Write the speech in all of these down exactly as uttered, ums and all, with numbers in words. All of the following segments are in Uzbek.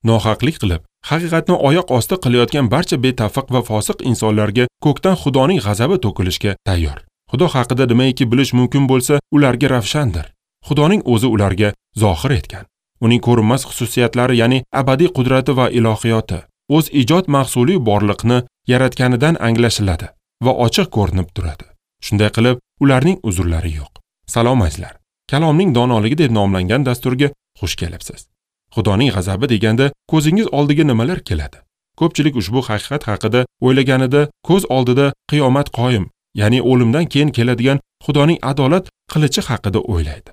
Nohaqlik qilib, haqiqatni oyoq osti qilayotgan barcha betafiq va fosiq insonlarga ko'kdan Xudoning g'azabi to'kilishga tayyor. Xudo haqida nimaiki bilish mumkin bo'lsa, ularga ravshandir. Xudoning o'zi ularga zohir etgan. Uning ko'rinmas xususiyatlari, ya'ni abadiy qudrati va ilohiyoti, o'z ijod mahsuli borliqni yaratganidan anglashiladi va ochiq ko'rinib turadi. Shunday qilib, ularning uzrlari yo'q. Salom azizlar. Kalomning donoligi deb nomlangan dasturga xush kelibsiz. Xudoning g'azabi deganda ko'zingiz oldiga nimalar keladi? Ko'pchilik ushbu haqiqat haqida o'ylaganida ko'z oldida qiyomat qoyim, ya'ni o'limdan keyin keladigan Xudoning adolat qilichi haqida o'ylaydi.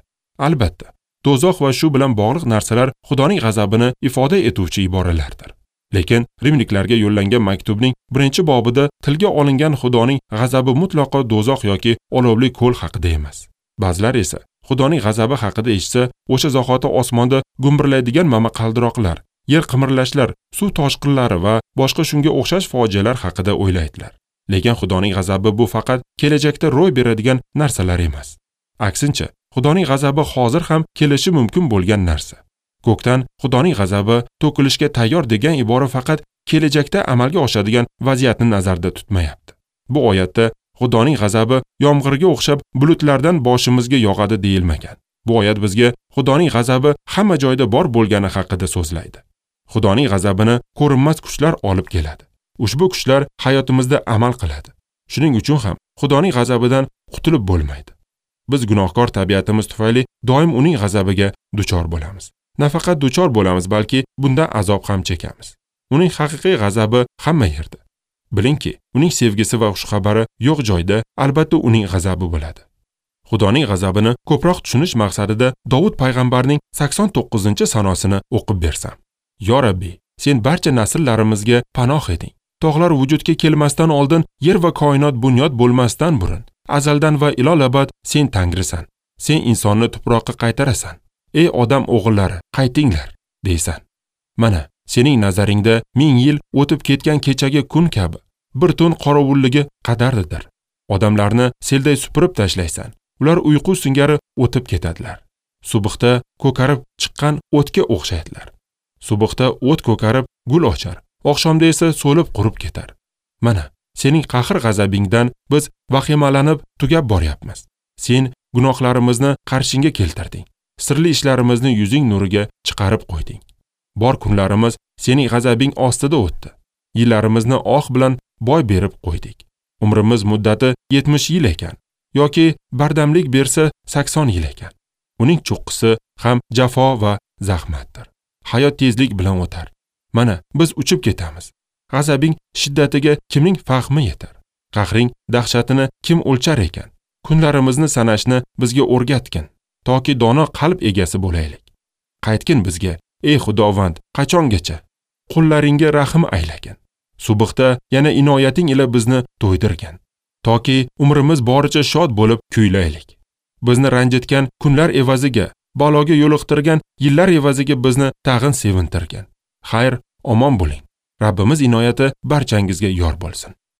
Albatta, do'zax va shu bilan bog'liq narsalar Xudoning g'azabini ifoda etuvchi iboralardir. Lekin rimliklarga yo'llangan maktubning birinchi bobida tilga olingan Xudoning g'azabi mutlaqo do'zax yoki olovli ko'l haqida emas. Ba'zilar esa Xudoning g'azabi haqida eshitsa, o'sha zahoti osmonda gumburlaydigan momaqaldiroqlar, yer qimirlashlar, suv toshqinlari va boshqa shunga o'xshash fojialar haqida o'ylaydilar. Lekin Xudoning g'azabi bu faqat kelajakda ro'y beradigan narsalar emas. Aksincha, Xudoning g'azabi hozir ham kelishi mumkin bo'lgan narsa. Ko'kdan Xudoning g'azabi to'kilishga tayyor degan ibora faqat kelajakda amalga oshadigan vaziyatni nazarda tutmayapti. Bu oyatda Xudoning g'azabi yomg'irga o'xshab bulutlardan boshimizga yog'adi deyilmagan. Bu oyat bizga Xudoning g'azabi hamma joyda bor bo'lgani haqida so'zlaydi. Xudoning g'azabini ko'rinmas kuchlar olib keladi. Ushbu kuchlar hayotimizda amal qiladi. Shuning uchun ham Xudoning g'azabidan qutulib bo'lmaydi. Biz gunohkor tabiatimiz tufayli doim uning g'azabiga duchor bo'lamiz. Nafaqat duchor bo'lamiz, balki bundan azob ham chekamiz. Uning haqiqiy g'azabi hamma yerda. Bilingki, uning sevgisi va xushxabari yo'q joyda albatta uning g'azabi bo'ladi. Xudoning g'azabini ko'proq tushunish maqsadida Dovud payg'ambarning sakson to'qqizinchi sanosini o'qib bersam. Yo Rabbi, sen barcha nasllarimizga panoh eding. Tog'lar vujudga kelmasdan oldin, yer va koinot bunyod bo'lmasdan burun, azaldan va ilolabad sen Tangrisan. Sen insonni tuproqqa qaytarasan. Ey odam o'g'illari, qaytinglar, deysan. Mana, sening nazaringda ming yil o'tib ketgan kechagi kun kabi bir tun qorovulligi qadarlidir. Odamlarni selday supurib tashlaysan. Ular uyqu singari o'tib ketadilar. Subuhda ko'karib chiqqan o'tga o'xshaydilar. Subuhda o't ko'karib gul ochar, oqshomda esa so'lib qurib ketar. Mana, sening qahr-g'azabingdan biz vahimalanib tugab boryapmiz. Sen gunohlarimizni qarshingga keltirding. Sirli ishlarimizni yuzing nuriga chiqarib qo'yding. Bor kunlarimiz sening g'azabing ostida o'tdi. Yillarimizni oq bilan boy berib qo'ydik. Umrimiz muddati yetmish yil ekan yoki bardamlik bersa sakson yil ekan. Uning cho'qqisi ham jafo va zahmatdir. Hayot tezlik bilan o'tar. Mana biz uchib ketamiz. G'azabing shiddatiga kimning fahmi yetar? Qahring dahshatini kim o'lchar ekan? Kunlarimizni sanashni bizga o'rgatgin, toki dono qalb egasi bo'laylik. Qaytgin bizga, ey Xudovand, qachongacha? Qullaringga rahm aylagin. Subuhda yana inoyating ila bizni to'ydirgin, toki umrimiz boricha shod bo'lib kuylaylik. Bizni ranjitgan kunlar evaziga, baloga yo'liqtirgan yillar evaziga bizni tag'in sevintirgin. Xayr, omon bo'ling. Rabbimiz inoyati barchangizga yor bo'lsin.